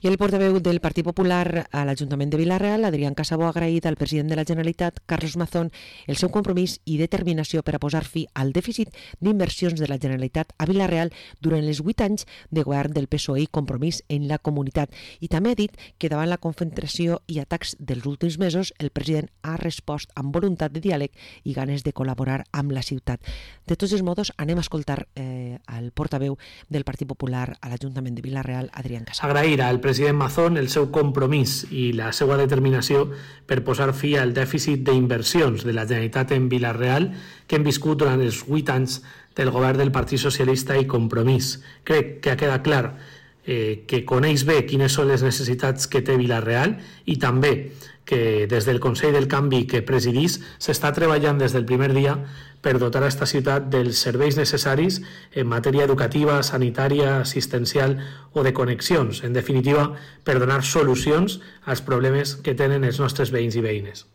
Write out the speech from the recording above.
I el portaveu del Partit Popular a l'Ajuntament de Vila-real, Adrián Casabó, ha agraït al president de la Generalitat, Carlos Mazón, el seu compromís i determinació per a posar fi al dèficit d'inversions de la Generalitat a Vila-real durant els 8 anys de govern del PSOE i Compromís en la comunitat. I també ha dit que davant la concentració i atacs dels últims mesos, el president ha respost amb voluntat de diàleg i ganes de col·laborar amb la ciutat. De tots els modos, anem a escoltar al portaveu del Partit Popular a l'Ajuntament de Vila-real, Adrián Casabó. Agrair al president Mazón el seu compromís i la seva determinació per posar fi al dèficit d'inversions de la Generalitat en Vila-real que hem viscut durant els 8 anys del govern del Partit Socialista i Compromís. Crec que ha quedat clar que coneix bé quines són les necessitats que té Vila-real i també que des del Consell del Canvi que presidís s'està treballant des del primer dia per dotar a esta ciutat dels serveis necessaris en matèria educativa, sanitària, assistencial o de connexions. En definitiva, per donar solucions als problemes que tenen els nostres veïns i veïnes.